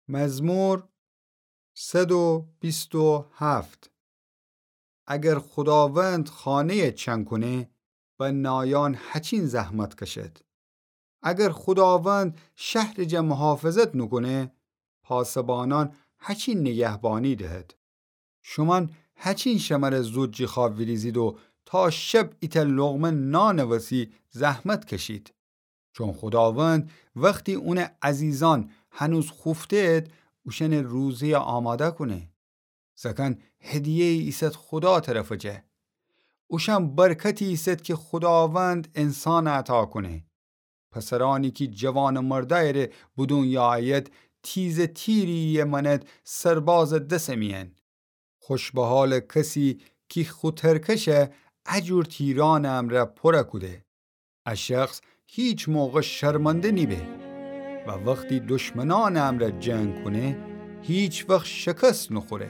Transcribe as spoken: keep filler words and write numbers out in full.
مزمور صد و بیست و هفت. اگر خوداوند خانه‌یَ چنگ کونه، بنایأن هچین زحمت کشد. اگر خوداوند شهرٚ جا محافظت نوکونه، پاسبانأن هچین نگهبانی دهد. شومأن هچین شمره زود جی خوأب ویریزید و تا شب ایتأ لقمه نانٚ وسی زحمت کشید. چون خوداوند وختی اونٚ عزیزأن هنوز خوفته‌د، اوشأنٚ روزه‌یَ آماده کونه. زأکأن هدیه‌یی ایسد خودا طرفٚ جا. اوشأن برکتی ایسد کی خوداوند انسانَ عطا کونه. پسرأنی کی جوانٚ مردأیٚ ره به دونیا أید، تیزٚ تیری‌یَ مأند سربازٚ دسٚ میأن. خوش به حالٚ کسی کی خو ترکشَ ا جور تیرأنٚ امرأ پورَ کوده. ا شخص هیچ موقع شرمنده نیبه و وختی دشمنأنٚ امرأ جنگ کونه، هیچ وخت شکست نوخوره.